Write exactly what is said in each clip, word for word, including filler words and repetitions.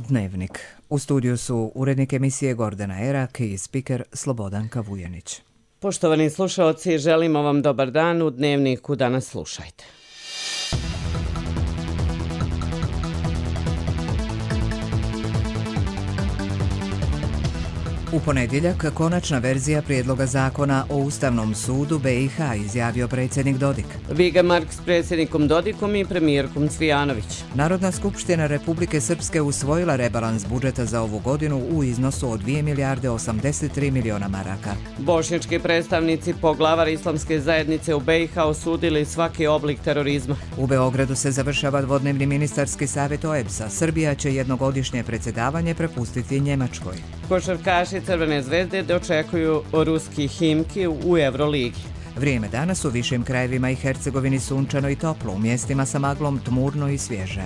Dnevnik. U studiju su urednik emisije Gordana Erak i spiker Slobodanka Vujanić. Poštovani slušaoci, želimo vam dobar dan. U Dnevniku danas slušajte. U ponedjeljak konačna verzija prijedloga zakona o Ustavnom sudu B i H, izjavio predsjednik Dodik. Viga Mark s predsjednikom Dodikom i premijerkom Cvijanović. Narodna skupština Republike Srpske usvojila rebalans budžeta za ovu godinu u iznosu od dvije milijarde osamdeset tri miliona maraka. Bošnjački predstavnici poglavar islamske zajednice u B i H osudili svaki oblik terorizma. U Beogradu se završava dvodnevni ministarski savjet O E B S-a. Srbija će jednogodišnje predsjedavanje prepustiti Njemačkoj. Košarkaši Crvene zvezde dočekuju ruski Himki u Euroligi. Vrijeme danas u višim krajevima i Hercegovini sunčano i toplo, u mjestima sa maglom tmurno i svježe.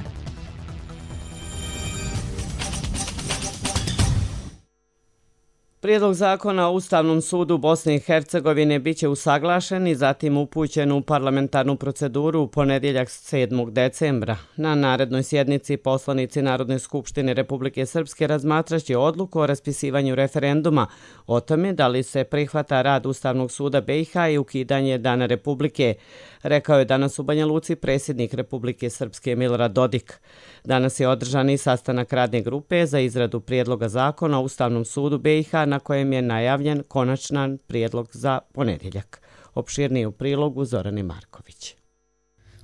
Prijedlog zakona o Ustavnom sudu Bosne i Hercegovine biće usaglašen i zatim upućen u parlamentarnu proceduru u ponedjeljak sedmog decembra. Na narednoj sjednici poslanici Narodne skupštine Republike Srpske razmatraće odluku o raspisivanju referenduma o tome da li se prihvata rad Ustavnog suda B i H i ukidanje Dana Republike, rekao je danas u Banja Luci predsjednik Republike Srpske Milorad Dodik. Danas je održan i sastanak radne grupe za izradu prijedloga zakona o Ustavnom sudu B i H na kojem je najavljen konačan prijedlog za ponedjeljak. Opširnije u prilogu Zorane Marković.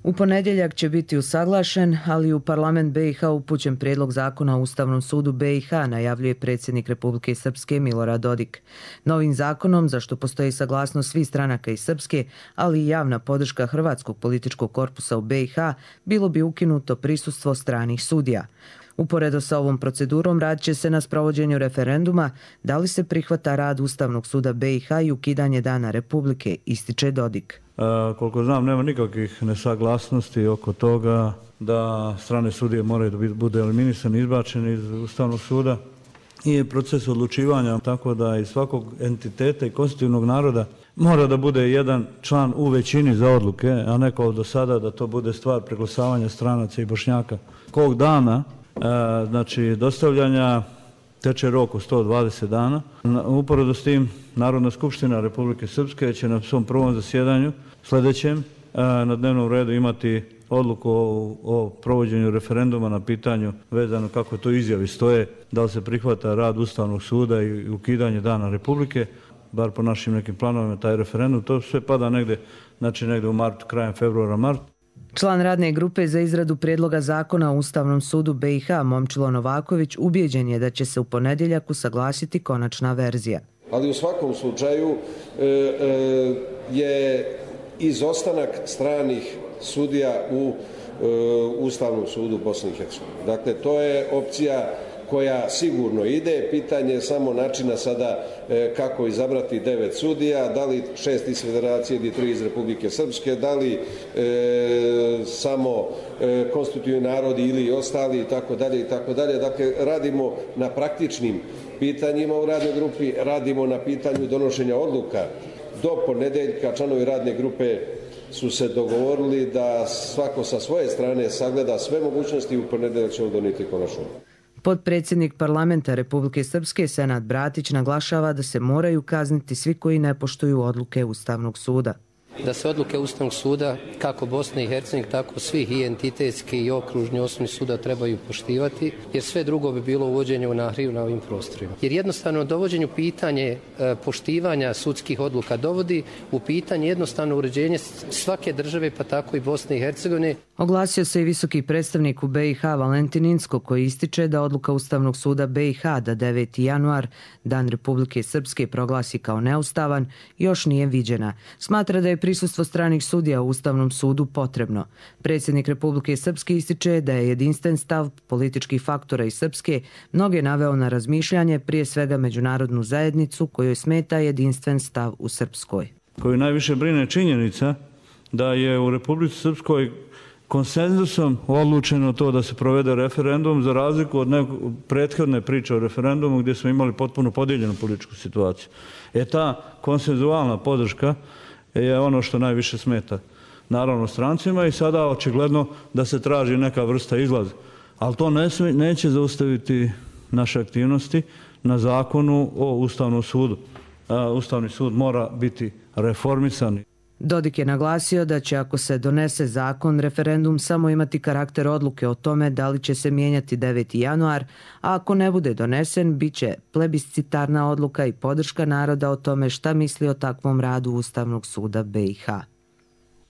U ponedjeljak će biti usaglašen, ali u parlament B i H upućen prijedlog zakona o Ustavnom sudu B i H, najavljuje predsjednik Republike Srpske Milorad Dodik. Novim zakonom, za što postoji saglasnost svih stranaka iz Srpske, ali i javna podrška Hrvatskog političkog korpusa u B i H, bilo bi ukinuto prisustvo stranih sudija. Uporedo sa ovom procedurom radit će se na sprovođenju referenduma da li se prihvata rad Ustavnog suda B i H i ukidanje Dana Republike, ističe Dodik. A, koliko znam, nema nikakvih nesaglasnosti oko toga da strane sudije moraju da budu eliminisani, izbačeni iz Ustavnog suda. I je proces odlučivanja tako da iz svakog entiteta i konstitutivnog naroda mora da bude jedan član u većini za odluke, a ne kao do sada da to bude stvar preglasavanja stranaca i Bošnjaka. Kog dana, a, znači dostavljanja, teče rok od sto dvadeset dana. Uporedo s tim, Narodna skupština Republike Srpske će na svom prvom zasjedanju sljedećem na dnevnom redu imati odluku o, o provođenju referenduma na pitanju vezano kako to izjavi stoje, da li se prihvata rad Ustavnog suda i ukidanje Dana Republike, bar po našim nekim planovima taj referendum. To sve pada negde, znači negde u martu, krajem februara, mart. Član radne grupe za izradu prijedloga zakona o Ustavnom sudu B i H Momčilo Novaković ubijeđen je da će se u ponedjeljak usaglasiti konačna verzija. Ali u svakom slučaju e, e, je izostanak stranih sudija u e, Ustavnom sudu Bosne i Hercegovine. Dakle, to je opcija koja sigurno ide. Pitanje je samo načina sada e, kako izabrati devet sudija, da li šest iz Federacije ili tri iz Republike Srpske, da li e, samo e, konstitutivni narodi ili ostali i tako dalje i tako dalje. Dakle, radimo na praktičnim pitanjima u radnoj grupi, radimo na pitanju donošenja odluka. Do ponedeljka članovi radne grupe su se dogovorili da svako sa svoje strane sagleda sve mogućnosti i u ponedeljak ćemo donijeti konačnu. Potpredsjednik parlamenta Republike Srpske Senad Bratić naglašava da se moraju kazniti svi koji ne poštuju odluke Ustavnog suda. Da se odluke Ustavnog suda, kako Bosne i Hercegovine, tako svih i entitetski i okružni osnovni suda trebaju poštivati, jer sve drugo bi bilo uvođenje u nahriju na ovim prostorima. Jer jednostavno dovođenju pitanje e, poštivanja sudskih odluka dovodi u pitanje jednostavno uređenje svake države, pa tako i Bosne i Hercegovine. Oglasio se i visoki predstavnik u B i H Valentin Incko, koji ističe da odluka Ustavnog suda B i H da deveti januar, Dan Republike Srpske, proglasi kao neustavan, još nije viđena. Smatra da je prisustvo stranih sudija u Ustavnom sudu potrebno. Predsjednik Republike Srpske ističe da je jedinstven stav političkih faktora iz Srpske mnoge naveo na razmišljanje, prije svega međunarodnu zajednicu kojoj smeta jedinstven stav u Srpskoj. Koju najviše brine činjenica da je u Republici Srpskoj konsenzusom odlučeno to da se provede referendum, za razliku od nekog prethodne priče o referendumu gdje smo imali potpuno podijeljenu političku situaciju. E ta konsenzualna podrška je ono što najviše smeta naravno strancima i sada očigledno da se traži neka vrsta izlaza. Ali to ne smije, neće zaustaviti naše aktivnosti na zakonu o Ustavnom sudu. Ustavni sud mora biti reformisan. Dodik je naglasio da će, ako se donese zakon, referendum samo imati karakter odluke o tome da li će se mijenjati deveti januar, a ako ne bude donesen, bit će plebiscitarna odluka i podrška naroda o tome šta misli o takvom radu Ustavnog suda B i H.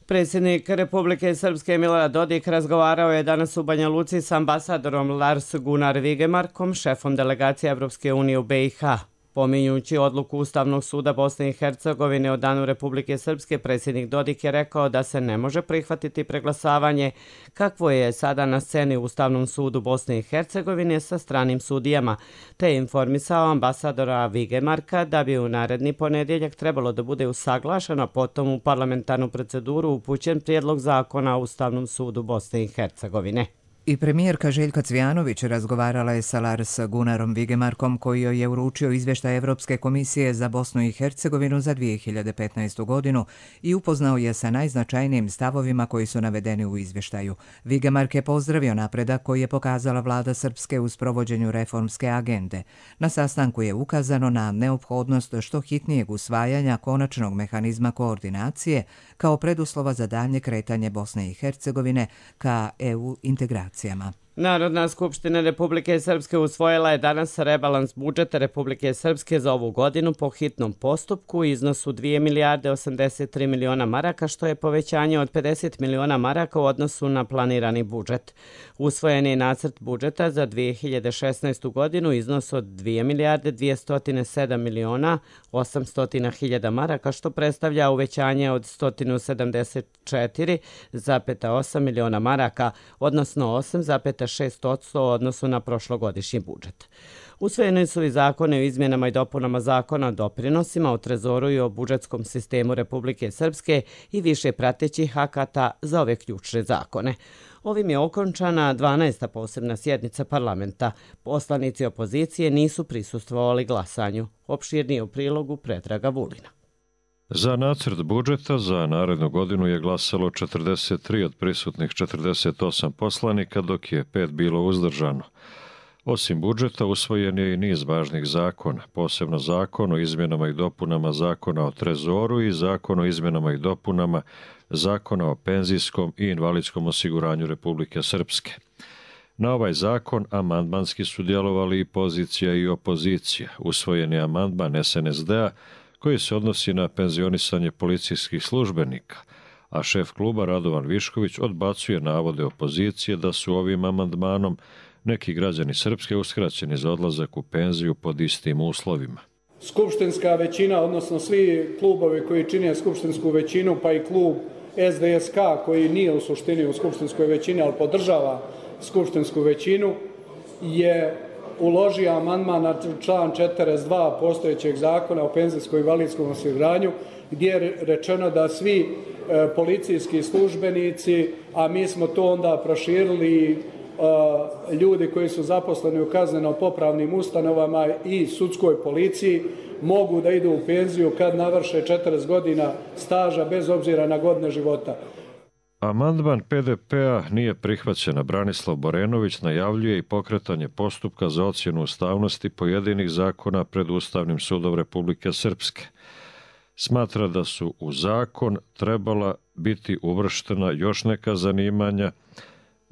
Predsjednik Republike Srpske Milorad Dodik razgovarao je danas u Banja Luci s ambasadorom Lars Gunnar Vigemarkom, šefom delegacije Evropske unije u B i H. Pominjući odluku Ustavnog suda Bosne i Hercegovine o danu Republike Srpske, predsjednik Dodik je rekao da se ne može prihvatiti preglasavanje kakvo je sada na sceni u Ustavnom sudu Bosne i Hercegovine sa stranim sudijama, te je informisao ambasadora Vigemarka da bi u naredni ponedjeljak trebalo da bude usaglašeno, potom u parlamentarnu proceduru upućen prijedlog zakona o Ustavnom sudu Bosne i Hercegovine. I premijerka Željka Cvijanović razgovarala je sa Lars Gunnarom Vigemarkom, koji joj je uručio izvještaj Evropske komisije za Bosnu i Hercegovinu za dvije hiljade petnaestu. godinu i upoznao je sa najznačajnijim stavovima koji su navedeni u izvještaju. Vigemark je pozdravio napredak koji je pokazala vlada Srpske u sprovođenju reformske agende. Na sastanku je ukazano na neophodnost što hitnijeg usvajanja konačnog mehanizma koordinacije kao preduslova za daljnje kretanje Bosne i Hercegovine ka E U integracijama. Narodna skupština Republike Srpske usvojila je danas rebalans budžeta Republike Srpske za ovu godinu po hitnom postupku u iznosu dvije milijarde osamdeset tri miliona maraka, što je povećanje od pedeset miliona maraka u odnosu na planirani budžet. Usvojen je nacrt budžeta za dvije hiljade šesnaestu. godinu iznos od dvije milijarde dvjesto sedam miliona osamsto hiljada maraka, što predstavlja uvećanje od sto sedamdeset četiri zarez osam miliona maraka, odnosno osam zarez šest posto u odnosu na prošlogodišnji budžet. Usvojeni su i zakone o izmjenama i dopunama zakona o doprinosima, o trezoru i o budžetskom sistemu Republike Srpske i više pratećih akata za ove ključne zakone. Ovim je okončana dvanaesta posebna sjednica parlamenta. Poslanici opozicije nisu prisustvovali glasanju. Opširnije u prilogu Predraga Vulina. Za nacrt budžeta za narednu godinu je glasalo četrdeset tri od prisutnih četrdeset osam poslanika, dok je pet bilo uzdržano. Osim budžeta, usvojen je i niz važnih zakona, posebno zakon o izmjenama i dopunama zakona o trezoru i zakon o izmjenama i dopunama zakona o penzijskom i invalidskom osiguranju Republike Srpske. Na ovaj zakon amandmanski su djelovali i pozicija i opozicija. Usvojen je amandman S N S D-a koji se odnosi na penzionisanje policijskih službenika, a šef kluba Radovan Višković odbacuje navode opozicije da su ovim amandmanom neki građani Srpske uskraćeni za odlazak u penziju pod istim uslovima. Skupštinska većina, odnosno svi klubovi koji čine skupštinsku većinu, pa i klub S D S K koji nije u suštini u skupštinskoj većini, ali podržava skupštinsku većinu, je uložio amandman na član četrdeset dva postojećeg zakona o penzijskom i invalidskom osiguranju, gdje je rečeno da svi e, policijski službenici, a mi smo to onda proširili, e, ljudi koji su zaposleni u kazneno-popravnim ustanovama i sudskoj policiji, mogu da idu u penziju kad navrše četrdeset godina staža bez obzira na godine života. Amandman P D P-a nije prihvaćen, a Branislav Borenović najavljuje i pokretanje postupka za ocjenu ustavnosti pojedinih zakona pred Ustavnim sudom Republike Srpske. Smatra da su u zakon trebala biti uvrštena još neka zanimanja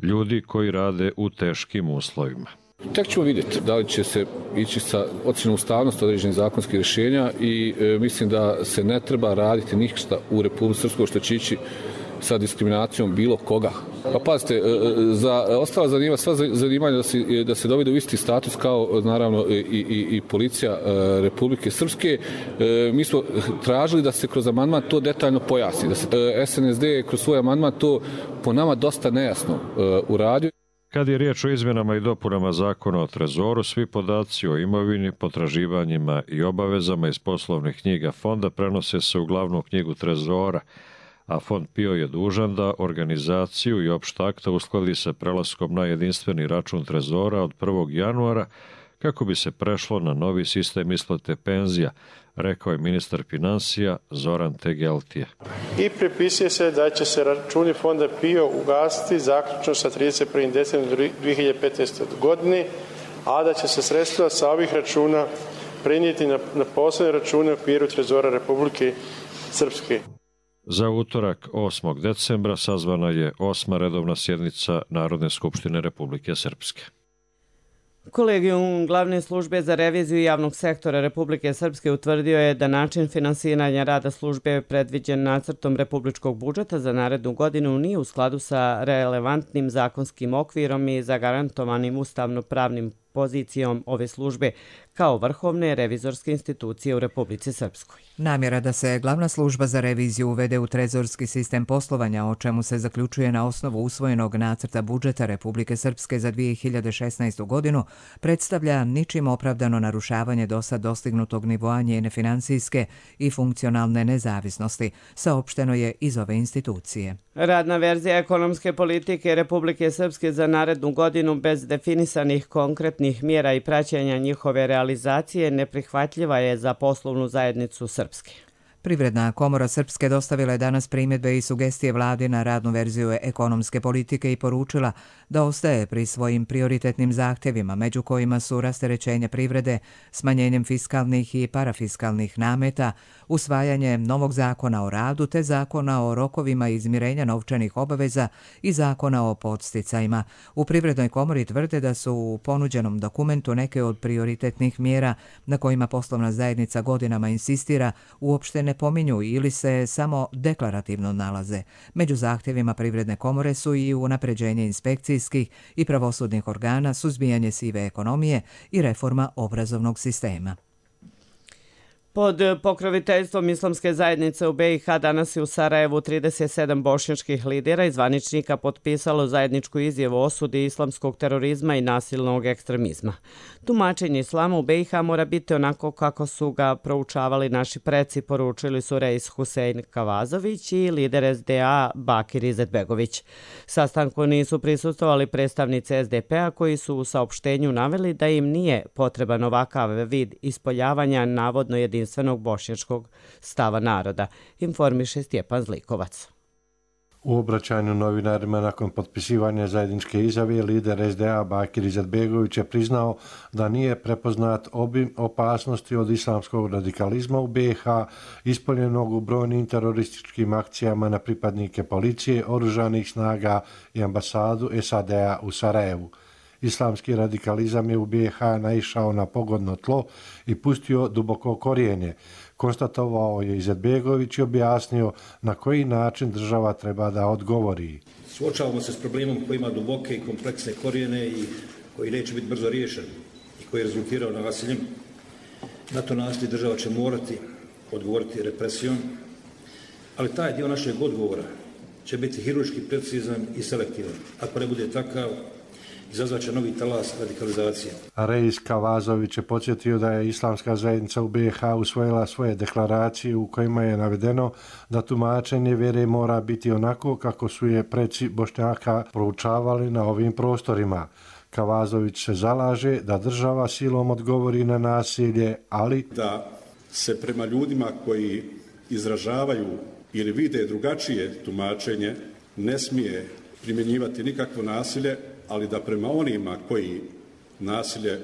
ljudi koji rade u teškim uslovima. Tek ćemo vidjeti da li će se ići sa ocjenom ustavnosti određenih zakonskih rješenja i e, mislim da se ne treba raditi ništa u Republici Srpskoj što će ići sa diskriminacijom bilo koga. Pa pazite, za ostala zanima, sva zanimanja da se, da se dovede u isti status kao naravno i, i, i policija Republike Srpske. Mi smo tražili da se kroz amandman to detaljno pojasni. Da se S N S D kroz svoj amandman to po nama dosta nejasno uradio. Kad je riječ o izmjenama i dopunama zakona o trezoru, svi podaci o imovini, potraživanjima i obavezama iz poslovnih knjiga fonda prenose se u glavnu knjigu trezora, a Fond P I O je dužan da organizaciju i opšta akta uskladi sa prelaskom na jedinstveni račun trezora od prvog januara, kako bi se prešlo na novi sistem isplate penzija, rekao je ministar finansija Zoran Tegeltije. I prepisuje se da će se računi fonda P I O ugasiti zaključno sa trideset prvog decembra dve hiljade petnaeste. godine, a da će se sredstva sa ovih računa prenijeti na, na posebne račune u okviru Trezora Republike Srpske. Za utorak osmog decembra sazvana je osma redovna sjednica Narodne skupštine Republike Srpske. Kolegijum glavne službe za reviziju javnog sektora Republike Srpske utvrdio je da način finansiranja rada službe predviđen nacrtom republičkog budžeta za narednu godinu nije u skladu sa relevantnim zakonskim okvirom i zagarantovanim ustavno-pravnim pozicijom ove službe kao vrhovne revizorske institucije u Republici Srpskoj. Namjera da se glavna služba za reviziju uvede u trezorski sistem poslovanja, o čemu se zaključuje na osnovu usvojenog nacrta budžeta Republike Srpske za dve hiljade šesnaestu. godinu, predstavlja ničim opravdano narušavanje dosad dostignutog nivoa njene financijske i funkcionalne nezavisnosti, saopšteno je iz ove institucije. Radna verzija ekonomske politike Republike Srpske za narednu godinu bez definisanih konkretnih mjera i praćenja njihove realizacije neprihvatljiva je za poslovnu zajednicu Srpske. Privredna komora Srpske dostavila je danas primjedbe i sugestije vladi na radnu verziju ekonomske politike i poručila da ostaje pri svojim prioritetnim zahtjevima, među kojima su rasterećenje privrede, smanjenjem fiskalnih i parafiskalnih nameta, usvajanje novog zakona o radu te zakona o rokovima izmirenja novčanih obaveza i zakona o podsticajima. U Privrednoj komori tvrde da su u ponuđenom dokumentu neke od prioritetnih mjera na kojima poslovna zajednica godinama insistira uopšte ne pominju ili se samo deklarativno nalaze. Među zahtjevima Privredne komore su i unapređenje inspekcijskih i pravosudnih organa, suzbijanje sive ekonomije i reforma obrazovnog sistema. Pod pokroviteljstvom islamske zajednice u B i H danas je u Sarajevu trideset sedam bošnjačkih lidera i zvaničnika potpisalo zajedničku izjavu o osudi islamskog terorizma i nasilnog ekstremizma. Tumačenje islama u B i H mora biti onako kako su ga proučavali naši preci, poručili su Reis Husein Kavazović i lider S D A Bakir Izetbegović. Sastanku nisu prisustvovali predstavnici S D P-a koji su u saopštenju naveli da im nije potreban ovakav vid ispoljavanja navodno jedinstvenog jedinstvenog bošnjačkog stava naroda, informiše Stjepan Zlikovac. U obraćanju novinarima nakon potpisivanja zajedničke izjave, lider S D A Bakir Izetbegović je priznao da nije prepoznat obim opasnosti od islamskog radikalizma u B i H, ispoljenog u brojnim terorističkim akcijama na pripadnike policije, oružanih snaga i ambasadu S A D A u Sarajevu. Islamski radikalizam je u B i H naišao na pogodno tlo i pustio duboko korijenje. Konstatovao je Izetbegović i objasnio na koji način država treba da odgovori. Suočavamo se s problemom koji ima duboke i kompleksne korijene i koji neće biti brzo riješen i koji je rezultirao nasiljem. Na to nasilje država će morati odgovoriti represijom, ali taj dio našeg odgovora će biti hirurški precizan i selektivan. Ako ne bude takav, izazvaće novi talas radikalizacije. Reis Kavazović je podsjetio da je islamska zajednica u B i H usvojila svoje deklaracije u kojima je navedeno da tumačenje vjere mora biti onako kako su je preci Bošnjaka proučavali na ovim prostorima. Kavazović se zalaže da država silom odgovori na nasilje, ali da se prema ljudima koji izražavaju ili vide drugačije tumačenje ne smije primjenjivati nikakvo nasilje, ali da prema onima koji nasilje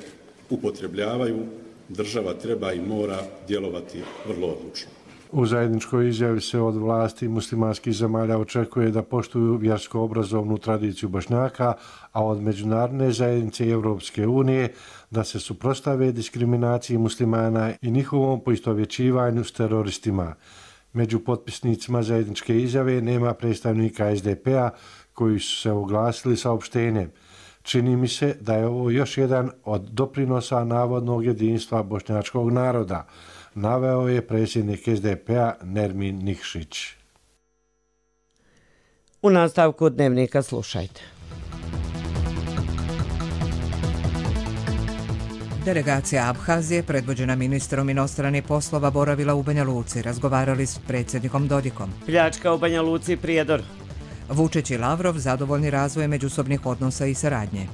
upotrebljavaju, država treba i mora djelovati vrlo odlučno. U zajedničkoj izjavi se od vlasti muslimanskih zemalja očekuje da poštuju vjersko-obrazovnu tradiciju Bošnjaka, a od međunarodne zajednice i Europske unije da se suprotstave diskriminaciji muslimana i njihovom poistovjećivanju s teroristima. Među potpisnicima zajedničke izjave nema predstavnika S D P-a koji su se oglasili saopštenjem. Čini mi se da je ovo još jedan od doprinosa navodnog jedinstva bošnjačkog naroda, naveo je predsjednik S D P-a Nermin Nikšić. U nastavku dnevnika slušajte. Delegacija Abhazije, predvođena ministrom inostranih poslova, boravila u Banja Luci, razgovarali s predsjednikom Dodikom. Pljačka u Banja Luci, Prijedor. Vučić i Lavrov zadovoljni razvojem međusobnih odnosa i saradnje.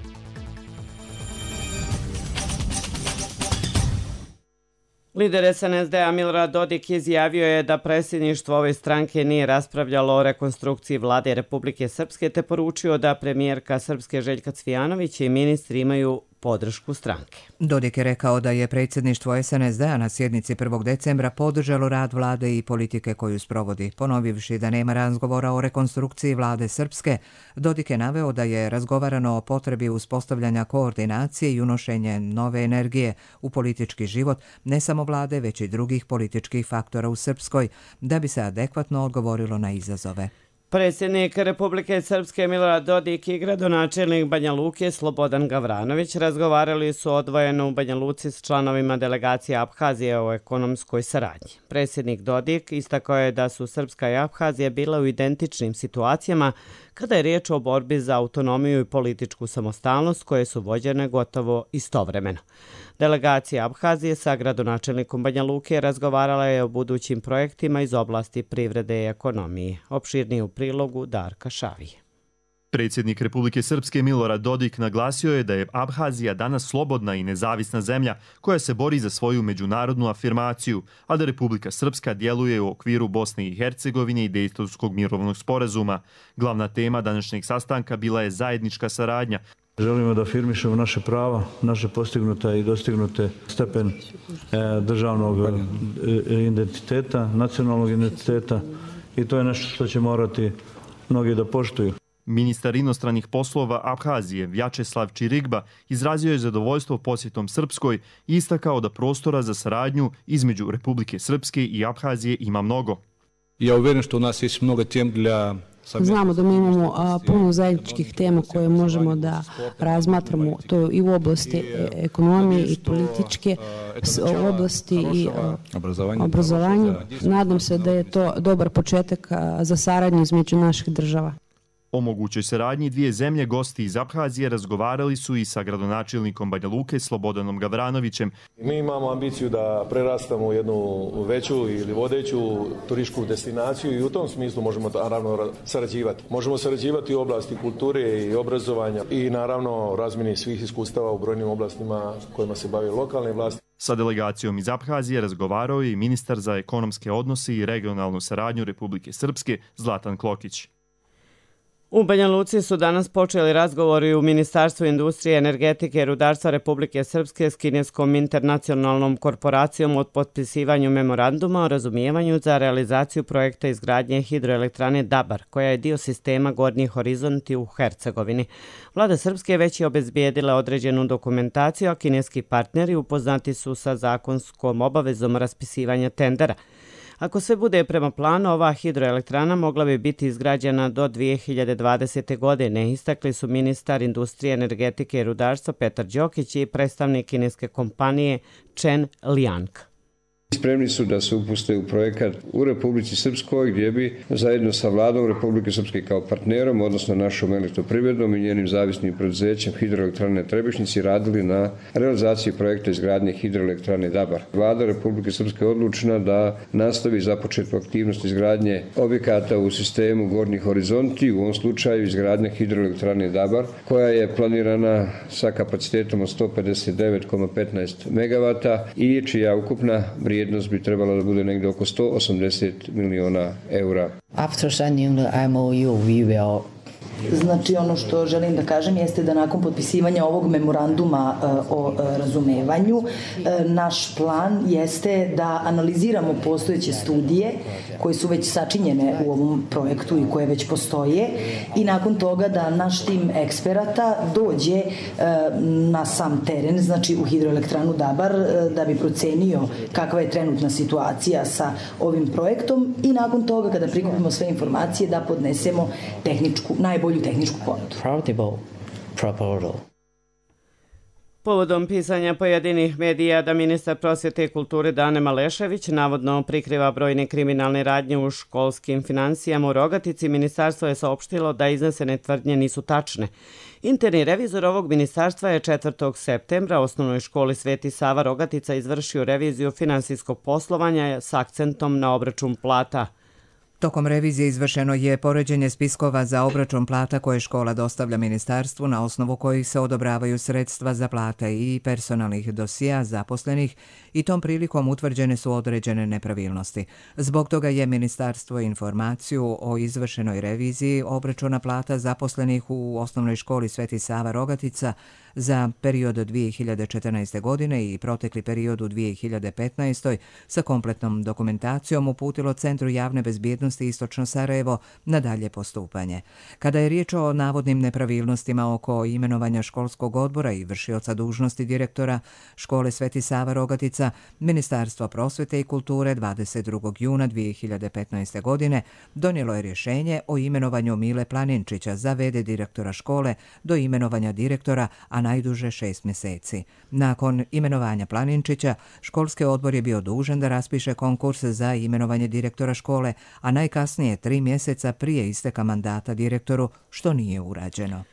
Lider es en es de-a Milorad Dodik izjavio je da predsjedništvo ove stranke nije raspravljalo o rekonstrukciji vlade Republike Srpske te poručio da premijerka Srpske Željka Cvijanović i ministri imaju podršku stranke. Dodik je rekao da je predsjedništvo es en es de-a na sjednici prvog decembra podržalo rad vlade i politike koju sprovodi. Ponovivši da nema razgovora o rekonstrukciji vlade Srpske, Dodik je naveo da je razgovarano o potrebi uspostavljanja koordinacije i unošenje nove energije u politički život ne samo vlade, već i drugih političkih faktora u Srpskoj, da bi se adekvatno odgovorilo na izazove. Predsjednik Republike Srpske Milorad Dodik i gradonačelnik Banja Luke Slobodan Gavranović razgovarali su odvojeno u Banja Luci s članovima delegacije Abhazije o ekonomskoj saradnji. Predsjednik Dodik istakao je da su Srpska i Abhazija bila u identičnim situacijama kada je riječ o borbi za autonomiju i političku samostalnost koje su vođene gotovo istovremeno. Delegacija Abhazije sa gradonačelnikom Banja Luke razgovarala je o budućim projektima iz oblasti privrede i ekonomije. Opširnije u prilogu Darka Šavije. Predsjednik Republike Srpske Milorad Dodik naglasio je da je Abhazija danas slobodna i nezavisna zemlja koja se bori za svoju međunarodnu afirmaciju, a da Republika Srpska djeluje u okviru Bosne i Hercegovine i Dejtonskog mirovnog sporazuma. Glavna tema današnjeg sastanka bila je zajednička saradnja. Želimo da afirmišemo naše prava, naše postignute i dostignute stepen državnog identiteta, nacionalnog identiteta i to je nešto što će morati mnogi da poštuju. Ministar inostranih poslova Abhazije Vjačeslav Čirigba izrazio je zadovoljstvo posjetom Srpskoj i istakao da prostora za saradnju između Republike Srpske i Abhazije ima mnogo. Ja uvjeren što u nas je mnogo tem dla... Znamo da mi imamo a, puno zajedničkih tema koje možemo da razmatramo to i u oblasti ekonomije i političke, u oblasti i a, obrazovanja. Nadam se da je to dobar početak a, za saradnju između naših država. O mogućoj saradnji dvije zemlje gosti iz Abhazije razgovarali su i sa gradonačelnikom Banja Luke Slobodanom Gavranovićem. Mi imamo ambiciju da prerastamo u jednu veću ili vodeću turističku destinaciju i u tom smislu možemo naravno sarađivati. Možemo sarađivati u oblasti kulture i obrazovanja i naravno razmjeni svih iskustava u brojnim oblastima kojima se bave lokalne vlasti. Sa delegacijom iz Abhazije razgovarao je i ministar za ekonomske odnose i regionalnu saradnju Republike Srpske Zlatan Klokić. U Banja Luci su danas počeli razgovori u Ministarstvu industrije, energetike i rudarstva Republike Srpske s kineskom internacionalnom korporacijom od potpisivanju memoranduma o razumijevanju za realizaciju projekta izgradnje hidroelektrane Dabar, koja je dio sistema Gornji horizonti u Hercegovini. Vlada Srpske već je obezbijedila određenu dokumentaciju, a kineski partneri upoznati su sa zakonskom obavezom raspisivanja tendera. Ako sve bude prema planu, ova hidroelektrana mogla bi biti izgrađena do dvije hiljade dvadesete. godine, istakli su ministar industrije, energetike i rudarstva Petar Đokić i predstavnik kineske kompanije Chen Liang. Spremni su da se upuste u projekat u Republici Srpskoj gdje bi zajedno sa vladom Republike Srpske kao partnerom, odnosno našom elektroprivredom i njenim zavisnim preduzećem hidroelektrane Trebišnjici radili na realizaciji projekta izgradnje hidroelektrane Dabar. Vlada Republike Srpske je odlučna da nastavi započetu aktivnost izgradnje objekata u sistemu Gornji horizonti, u ovom slučaju izgradnja hidroelektrane Dabar, koja je planirana sa kapacitetom od sto pedeset devet zarez petnaest megavata i čija ukupna vrijednost bi trebala da bude negdje oko sto osamdeset miliona eura. After signing the M O U, we will Znači, ono što želim da kažem jeste da nakon potpisivanja ovog memoranduma o razumevanju, naš plan jeste da analiziramo postojeće studije koje su već sačinjene u ovom projektu i koje već postoje i nakon toga da naš tim eksperata dođe na sam teren, znači u hidroelektranu Dabar, da bi procenio kakva je trenutna situacija sa ovim projektom i nakon toga kada prikupimo sve informacije da podnesemo tehničku, najbolju tehničku ponudu. Povodom pisanja pojedinih medija da ministar prosvjete i kulture Dane Malešević navodno prikriva brojne kriminalne radnje u školskim financijama u Rogatici, ministarstvo je saopštilo da iznesene tvrdnje nisu tačne. Interni revizor ovog ministarstva je četvrtog septembra osnovnoj školi Sveti Sava Rogatica izvršio reviziju finansijskog poslovanja s akcentom na obračun plata. Tokom revizije izvršeno je poređenje spiskova za obračun plata koje škola dostavlja ministarstvu na osnovu kojih se odobravaju sredstva za plate i personalnih dosija zaposlenih i tom prilikom utvrđene su određene nepravilnosti. Zbog toga je ministarstvo informaciju o izvršenoj reviziji obračuna plata zaposlenih u osnovnoj školi Sveti Sava Rogatica za period dvije hiljade četrnaeste. godine i protekli period u dvije hiljade petnaestoj. sa kompletnom dokumentacijom uputilo Centru javne bezbjednosti Istočno Sarajevo na dalje postupanje. Kada je riječ o navodnim nepravilnostima oko imenovanja školskog odbora i vršioca dužnosti direktora škole Sveti Sava Rogatica, Ministarstvo prosvete i kulture dvadeset drugog juna dvije hiljade petnaeste. godine donijelo je rješenje o imenovanju Mile Planinčića za ve de direktora škole do imenovanja direktora, a najduže šest mjeseci. Nakon imenovanja Planinčića, školski odbor je bio dužan da raspiše konkurs za imenovanje direktora škole, a najkasnije tri mjeseca prije isteka mandata direktoru, što nije urađeno.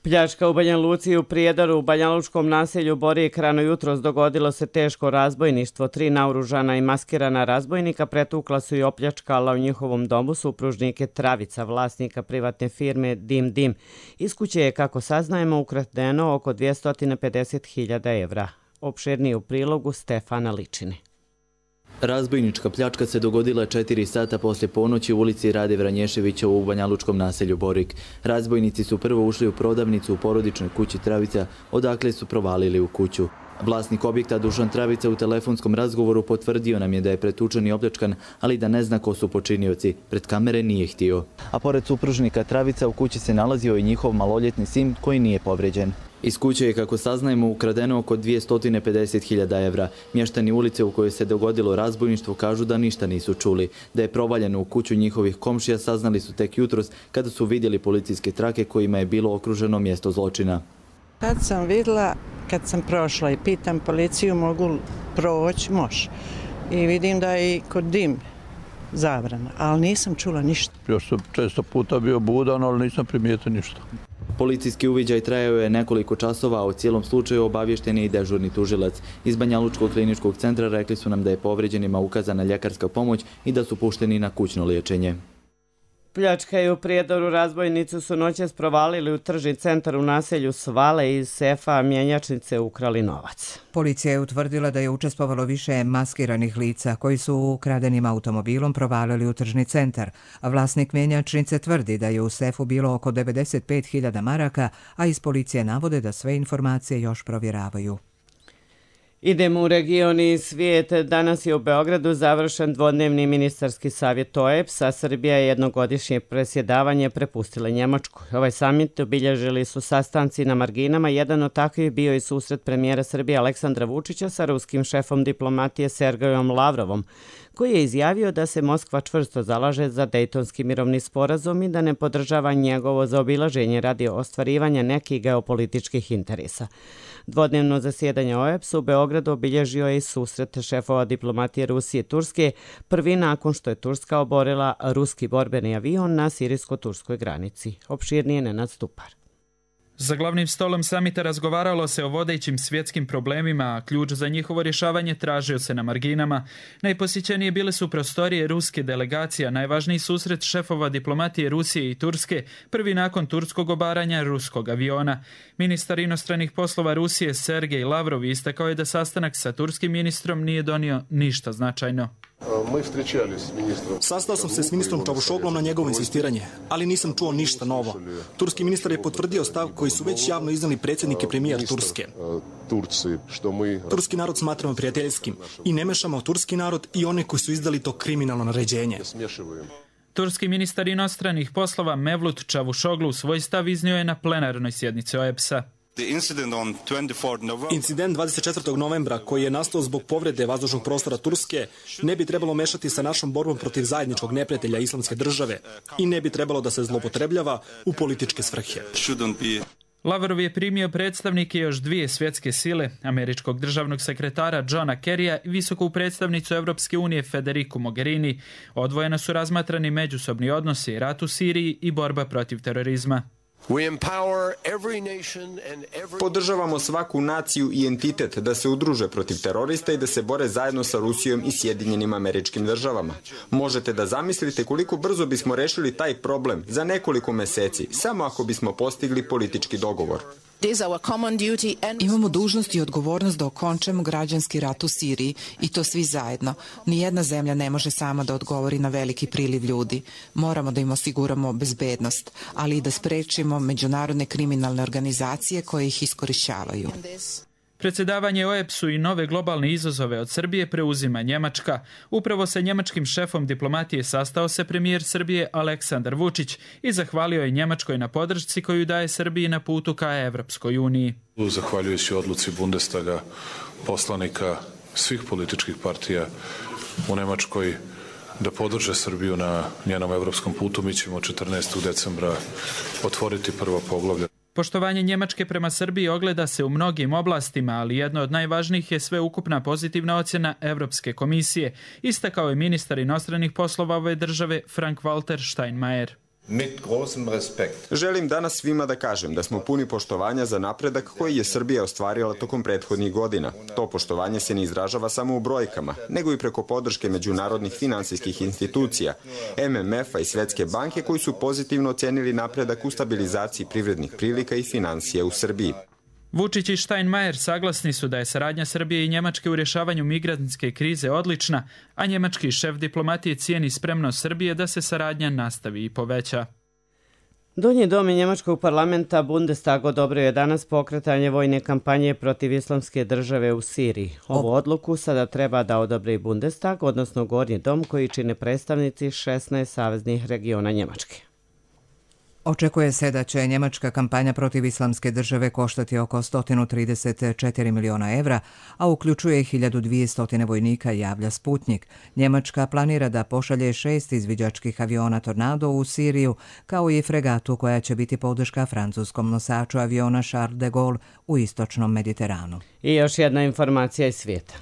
Pljačka u Banja Luci i u Prijedoru u banjalučkom naselju Borijek rano jutros dogodilo se teško razbojništvo. Tri naoružana i maskirana razbojnika pretukla su i opljačkala u njihovom domu supružnike Travica, vlasnika privatne firme Dim Dim. Iz kuće je, kako saznajemo, ukradeno oko dvjesto pedeset hiljada evra. Opširnije u prilogu Stefana Ličine. Razbojnička pljačka se dogodila četiri sata poslije ponoći u ulici Rade Vranješevića u banjalučkom naselju Borik. Razbojnici su prvo ušli u prodavnicu u porodičnoj kući Travica, odakle su provalili u kuću. Vlasnik objekta Dušan Travica u telefonskom razgovoru potvrdio nam je da je pretučen i opljačkan, ali da ne zna ko su počinioci. Pred kamere nije htio. A pored supružnika Travica u kući se nalazio i njihov maloljetni sin koji nije povređen. Iz kuće je, kako saznajemo, ukradeno oko dvjesto pedeset hiljada evra. Mještani ulice u kojoj se dogodilo razbojništvo kažu da ništa nisu čuli. Da je provaljeno u kuću njihovih komšija saznali su tek jutros kada su vidjeli policijske trake kojima je bilo okruženo mjesto zločina. Kad sam vidjela, kad sam prošla i pitam policiju mogu proći, može. I vidim da je i kod Dim zabrana, ali nisam čula ništa. Još sam često puta bio budan, ali nisam primijetio ništa. Policijski uviđaj trajao je nekoliko časova, a o cijelom slučaju obavješten je i dežurni tužilac. Iz Banjalučkog kliničkog centra rekli su nam da je povređenima ukazana ljekarska pomoć i da su pušteni na kućno liječenje. Pljačka i u Prijedoru razbojnicu su noćas provalili u tržni centar u naselju Svale iz sefa mjenjačnice ukrali novac. Policija je utvrdila da je učestvovalo više maskiranih lica koji su ukradenim automobilom provalili u tržni centar. Vlasnik mjenjačnice tvrdi da je u sefu bilo oko devedeset pet hiljada maraka, a iz policije navode da sve informacije još provjeravaju. Idemo u region i svijet. Danas je u Beogradu završen dvodnevni ministarski savjet O E B S-a. Srbija je jednogodišnje presjedavanje prepustila Njemačkoj. Ovaj samit obilježili su sastanci na marginama. Jedan od takvih bio i susret premijera Srbije Aleksandra Vučića sa ruskim šefom diplomatije Sergejom Lavrovom, koji je izjavio da se Moskva čvrsto zalaže za Dejtonski mirovni sporazum i da ne podržava njegovo zaobilaženje radi ostvarivanja nekih geopolitičkih interesa. Dvodnevno zasjedanje O E B S u Beogradu obilježio je i susret šefova diplomatije Rusije i Turske, prvi nakon što je Turska oborila ruski borbeni avion na sirijsko-turskoj granici. Opširnije Nenad Stupar. Za glavnim stolom samita razgovaralo se o vodećim svjetskim problemima, a ključ za njihovo rješavanje tražio se na marginama. Najposjećenije bile su prostorije ruske delegacije, najvažniji susret šefova diplomatije Rusije i Turske, prvi nakon turskog obaranja ruskog aviona. Ministar inostranih poslova Rusije Sergej Lavrov istakao je da sastanak sa turskim ministrom nije donio ništa značajno. Sastao sam se s ministrom Čavušoglom na njegovo insistiranje, ali nisam čuo ništa novo. Turski ministar je potvrdio stav koji su već javno iznali predsjednik i premijer Turske. Turski narod smatramo prijateljskim i ne mešamo turski narod i one koji su izdali to kriminalno naređenje. Turski ministar inostranih poslova Mevlut Čavušoglu svoj stav iznio je na plenarnoj sjednici O E B S-a. Incident dvadeset četvrtog novembra, koji je nastao zbog povrede vazdušnog prostora Turske, ne bi trebalo mešati sa našom borbom protiv zajedničkog neprijatelja Islamske države i ne bi trebalo da se zloupotrebljava u političke svrhe. Lavrov je primio predstavnike još dvije svjetske sile, američkog državnog sekretara Johna Kerrya i visoku predstavnicu Evropske unije Federiku Mogherini. Odvojeno su razmatrani međusobni odnosi, rat u Siriji i borba protiv terorizma. Podržavamo svaku naciju i entitet da se udruže protiv terorista i da se bore zajedno sa Rusijom i Sjedinjenim Američkim Državama. Možete da zamislite koliko brzo bismo rešili taj problem za nekoliko meseci, samo ako bismo postigli politički dogovor. Imamo dužnost i odgovornost da okončamo građanski rat u Siriji i to svi zajedno. Nijedna zemlja ne može sama da odgovori na veliki priliv ljudi. Moramo da im osiguramo bezbednost, ali i da sprečimo međunarodne kriminalne organizacije koje ih iskorišćavaju. Predsjedavanje O E B S-u i nove globalne izazove od Srbije preuzima Njemačka. Upravo sa njemačkim šefom diplomatije sastao se premijer Srbije Aleksandar Vučić i zahvalio je Njemačkoj na podršci koju daje Srbiji na putu ka Evropskoj uniji. Zahvaljujući odluci Bundestaga, poslanika svih političkih partija u Njemačkoj da podrže Srbiju na njenom evropskom putu, mi ćemo četrnaestog decembra otvoriti prvo poglavlje. Poštovanje Njemačke prema Srbiji ogleda se u mnogim oblastima, ali jedno od najvažnijih je sveukupna pozitivna ocjena Evropske komisije, istakao je ministar inostranih poslova ove države Frank-Walter Steinmeier. Želim danas svima da kažem da smo puni poštovanja za napredak koji je Srbija ostvarila tokom prethodnih godina. To poštovanje se ne izražava samo u brojkama, nego i preko podrške međunarodnih finansijskih institucija, M M F-a i Svetske banke koji su pozitivno ocenili napredak u stabilizaciji privrednih prilika i finansija u Srbiji. Vučić i Steinmeier saglasni su da je saradnja Srbije i Njemačke u rješavanju migrantske krize odlična, a njemački šef diplomatije cijeni spremnost Srbije da se saradnja nastavi i poveća. Donji dom njemačkog parlamenta Bundestag odobrio je danas pokretanje vojne kampanje protiv islamske države u Siriji. Ovu odluku sada treba da odobri Bundestag, odnosno Gornji dom koji čine predstavnici šesnaest saveznih regiona Njemačke. Očekuje se da će njemačka kampanja protiv islamske države koštati oko sto trideset četiri miliona evra, a uključuje hiljadu dvjesto vojnika, javlja Sputnik. Njemačka planira da pošalje šest izviđačkih aviona Tornado u Siriju, kao i fregatu koja će biti podrška francuskom nosaču aviona Charles de Gaulle u istočnom Mediteranu. I još jedna informacija iz svijeta.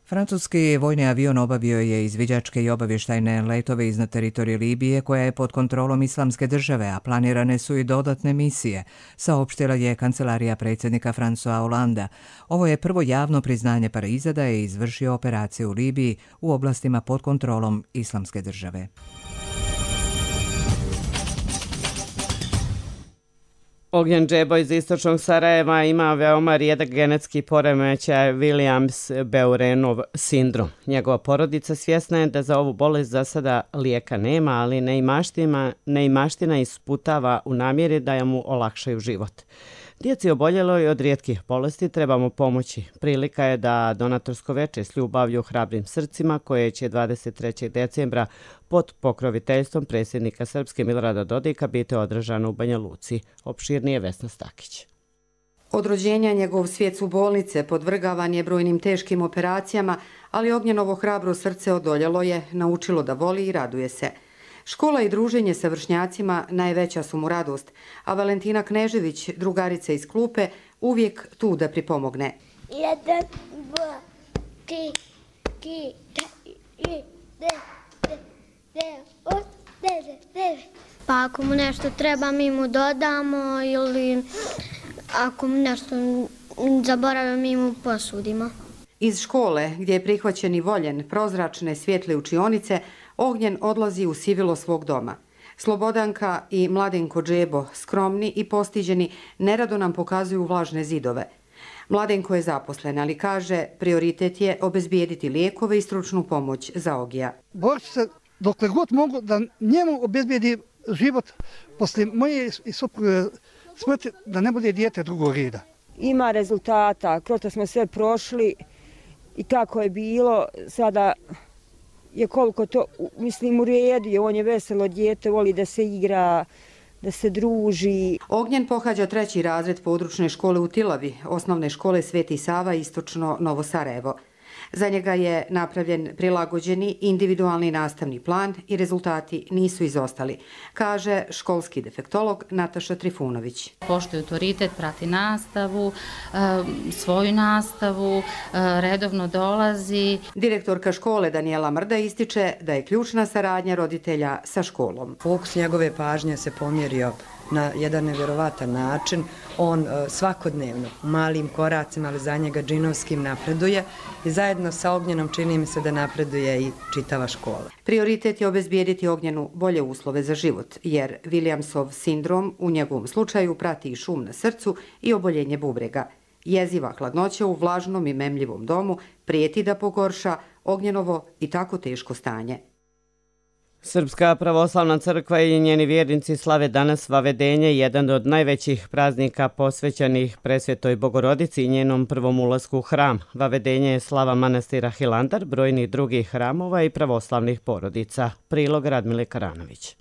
Francuski vojni avion obavio je izviđačke i obavještajne letove iznad teritorije Libije koja je pod kontrolom islamske države, a planirane su i dodatne misije, saopštila je kancelarija predsjednika François Hollanda. Ovo je prvo javno priznanje Pariza da je izvršio operaciju u Libiji u oblastima pod kontrolom islamske države. Ognjen Džebo iz istočnog Sarajeva ima veoma rijedak genetski poremećaj Williams-Beurenov sindrom. Njegova porodica svjesna je da za ovu bolest za sada lijeka nema, ali neimaština isputava u namjeri da mu olakšaju život. Djeci oboljeloj od rijetkih bolesti trebamo pomoći. Prilika je da donatorsko veče s ljubavlju hrabrim srcima koje će dvadeset trećeg decembra pod pokroviteljstvom predsjednika Srpske Milorada Dodika biti održano u Banja Luci. Opširnije Vesna Stakić. Od rođenja njegov svijet su bolnice, podvrgavan je brojnim teškim operacijama, ali Ognjenovo hrabro srce odoljelo je, naučilo da voli i raduje se. Škola i druženje sa vršnjacima najveća su mu radost, a Valentina Knežević, drugarica iz klupe, uvijek tu da pripomogne. Jedan, dva, tri, tri, četiri, deset, deset, deset, deset. Pa ako mu nešto treba, mi mu dodamo ili ako mu nešto zaboravimo, mi mu posudimo. Iz škole, gdje je prihvaćen i voljen, prozračne svjetle učionice, Ognjen odlazi u sivilo svog doma. Slobodanka i Mladenko Džebo, skromni i postiđeni, nerado nam pokazuju vlažne zidove. Mladenko je zaposlen, ali kaže, prioritet je obezbijediti lijekove i stručnu pomoć za Ogija. Borit ću se dokle god mogu da njemu obezbijedi život poslije moje i supruge smrti, da ne bude dijete drugog reda. Ima rezultata, kroz to smo sve prošli i kako je bilo, sada je koliko to, mislim, u redu je, on je veselo dijete, voli da se igra, da se druži. Ognjen pohađa treći razred područne škole u Tilavi, osnovne škole Sveti Sava, istočno Novo Sarajevo. Za njega je napravljen prilagođeni individualni nastavni plan i rezultati nisu izostali, kaže školski defektolog Nataša Trifunović. Poštuje autoritet, prati nastavu, svoju nastavu, redovno dolazi. Direktorka škole Danijela Mrda ističe da je ključna saradnja roditelja sa školom. Fokus njegove pažnje se pomjerio na jedan nevjerovatan način. On svakodnevno, malim koracima, ali za njega džinovskim napreduje i zajedno sa Ognjenom čini mi se da napreduje i čitava škola. Prioritet je obezbijediti Ognjenu bolje uslove za život, jer Williamsov sindrom u njegovom slučaju prati i šum na srcu i oboljenje bubrega. Jeziva hladnoća u vlažnom i memljivom domu prijeti da pogorša Ognjenovo i tako teško stanje. Srpska pravoslavna crkva i njeni vjernici slave danas Vavedenje, jedan od najvećih praznika posvećenih Presvetoj Bogorodici i njenom prvom ulasku u hram. Vavedenje je slava manastira Hilandar, brojnih drugih hramova i pravoslavnih porodica. Prilog Radmile Karanović.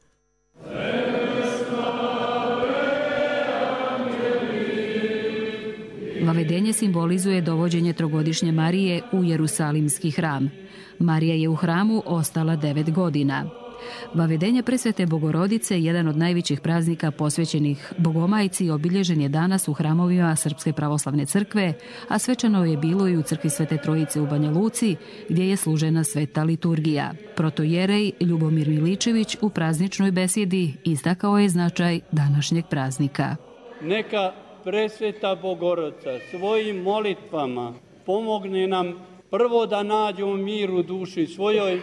Vavedenje simbolizuje dovođenje trogodišnje Marije u Jerusalimski hram. Marija je u hramu ostala devet godina. Vavedenje Presvete Bogorodice, jedan od najvećih praznika posvećenih Bogomajci, obilježen je danas u hramovima Srpske pravoslavne crkve, a svečano je bilo i u crkvi Svete Trojice u Banja Luci, gdje je služena sveta liturgija. Protojerej Ljubomir Miličević u prazničnoj besjedi istakao je značaj današnjeg praznika. Neka Presveta Bogorodica svojim molitvama pomogne nam prvo da nađemo mir u duši svojoj,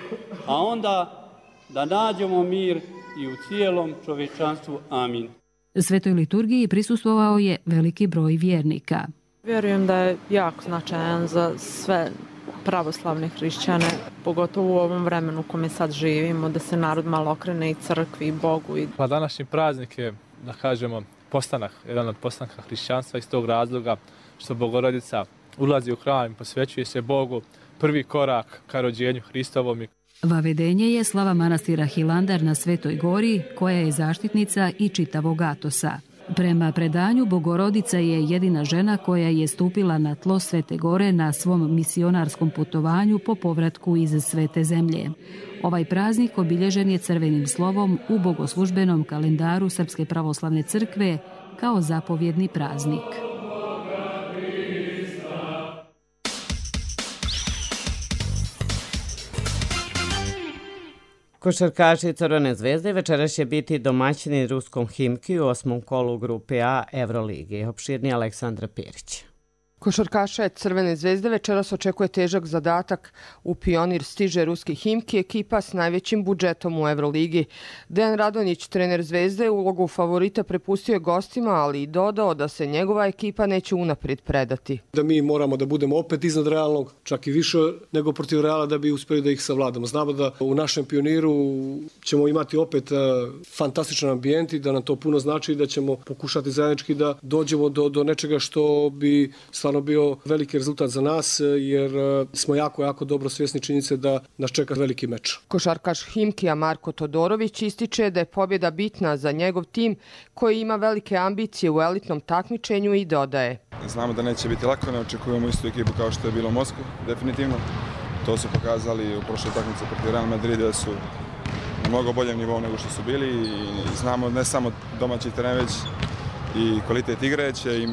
a onda da nađemo mir i u cijelom čovječanstvu. Amin. Svetoj liturgiji prisustvovao je veliki broj vjernika. Vjerujem da je jako značajan za sve pravoslavne hrišćane, pogotovo u ovom vremenu u kome sad živimo, da se narod malo okrene i crkvi i Bogu. Pa današnji praznik je, da kažemo, postanak, jedan od postanka hrišćanstva iz tog razloga što Bogorodica ulazi u hram i posvećuje se Bogu, prvi korak ka rođenju Hristovom. Vavedenje je slava manastira Hilandar na Svetoj gori, koja je zaštitnica i čitavog Atosa. Prema predanju, Bogorodica je jedina žena koja je stupila na tlo Svete gore na svom misionarskom putovanju po povratku iz Svete zemlje. Ovaj praznik obilježen je crvenim slovom u bogoslužbenom kalendaru Srpske pravoslavne crkve kao zapovjedni praznik. Košarkaši Crvene zvezde večeras će biti domaćini ruskom Himki u osmom kolu grupe A Evrolige. Opširnije Aleksandra Perić. Košarkaša Crvene zvezde večeras očekuje težak zadatak. U Pionir stiže ruski Himki, ekipa s najvećim budžetom u Evroligi. Dejan Radonjić, trener Zvezde, ulogu favorita prepustio je gostima, ali i dodao da se njegova ekipa neće unaprijed predati. Da mi moramo da budemo opet iznad realnog, čak i više nego protiv Reala, da bi uspjeli da ih savladamo. Znamo da u našem Pioniru ćemo imati opet fantastičan ambijent i da nam to puno znači i da ćemo pokušati zajednički da dođemo do, do nečega što bi stvarno bio veliki rezultat za nas, jer smo jako, jako dobro svjesni činjenice da nas čeka veliki meč. Košarkaš Himkija Marko Todorović ističe da je pobjeda bitna za njegov tim koji ima velike ambicije u elitnom takmičenju i dodaje. Znamo da neće biti lako, ne očekujemo istu ekipu kao što je bilo u Moskvi, definitivno. To su pokazali u prošloj takmici protiv Real Madrida da su na mnogo boljem nivou nego što su bili i znamo ne samo domaći teren, već i kvalitet igre će im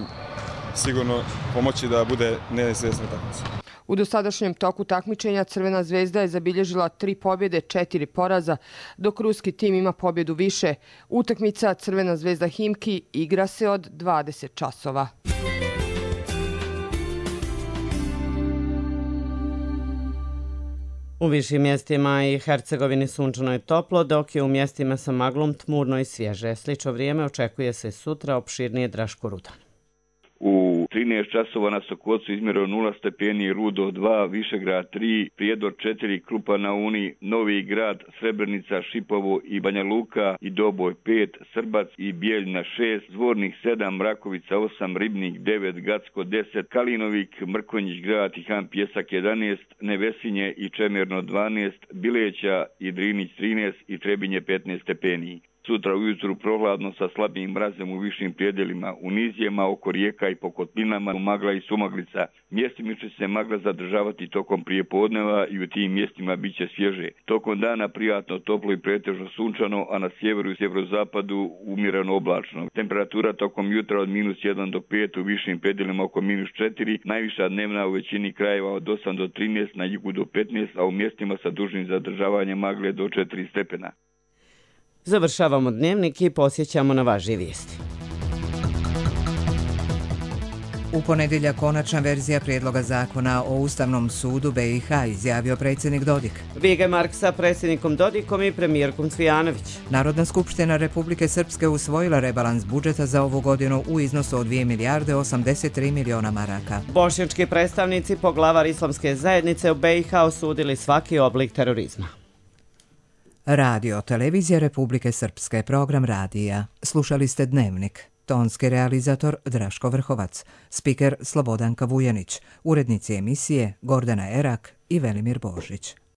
sigurno pomoći da bude neizvjesna takmica. U dosadašnjem toku takmičenja Crvena zvezda je zabilježila tri pobjede, četiri poraza, dok ruski tim ima pobjedu više. Utakmica Crvena zvezda Himki igra se od dvadeset časova. U višim mjestima i Hercegovini sunčano je toplo, dok je u mjestima sa maglom tmurno i svježe. Slično vrijeme očekuje se sutra, opširnije Draško Rudan. U trinaest časova na Sokocu izmjereno nula stepeni, Rudo dva, Višegrad tri, Prijedor četiri, Krupa na Uni, Novi Grad, Srebrenica, Šipovo i Banja Luka i Doboj pet, Srbac i Bijeljina šest, Zvornik sedam, Mrakovica osam, Ribnik devet, Gacko deset, Kalinovik, Mrkonjić Grad i Han Pjesak jedanaest, Nevesinje i Čemerno dvanaest, Bileća i Drinić trinaest i Trebinje petnaest stepeni. Sutra ujutru prohladno sa slabim mrazem u višim prijedelima, u nizijema, oko rijeka i po kotlinama, u magla i sumaglica. Mjestima će se magla zadržavati tokom prijepodneva i u tim mjestima bit će svježe. Tokom dana prijatno, toplo i pretežno sunčano, a na sjeveru i sjeverozapadu umjereno oblačno. Temperatura tokom jutra od minus jedan do pet, u višim prijedelima oko minus četiri, najviša dnevna u većini krajeva od osam do trinaest, na jugu do petnaest, a u mjestima sa dužnim zadržavanjem magle do četiri stepena. Završavamo dnevnik i posjećamo na važnije vijesti. U ponedjeljak konačna verzija prijedloga zakona o Ustavnom sudu B i H, izjavio predsjednik Dodik. Vigemark sa predsjednikom Dodikom i premijerkom Cvijanović. Narodna skupština Republike Srpske usvojila rebalans budžeta za ovu godinu u iznosu od dvije milijarde osamdeset tri miliona maraka. Bošnjački predstavnici poglavar islamske zajednice u B i H osudili svaki oblik terorizma. Radio, televizija Republike Srpske, program radija. Slušali ste Dnevnik. Tonski realizator Draško Vrhovac, spiker Slobodanka Vujanić, urednici emisije Gordana Erak i Velimir Božić.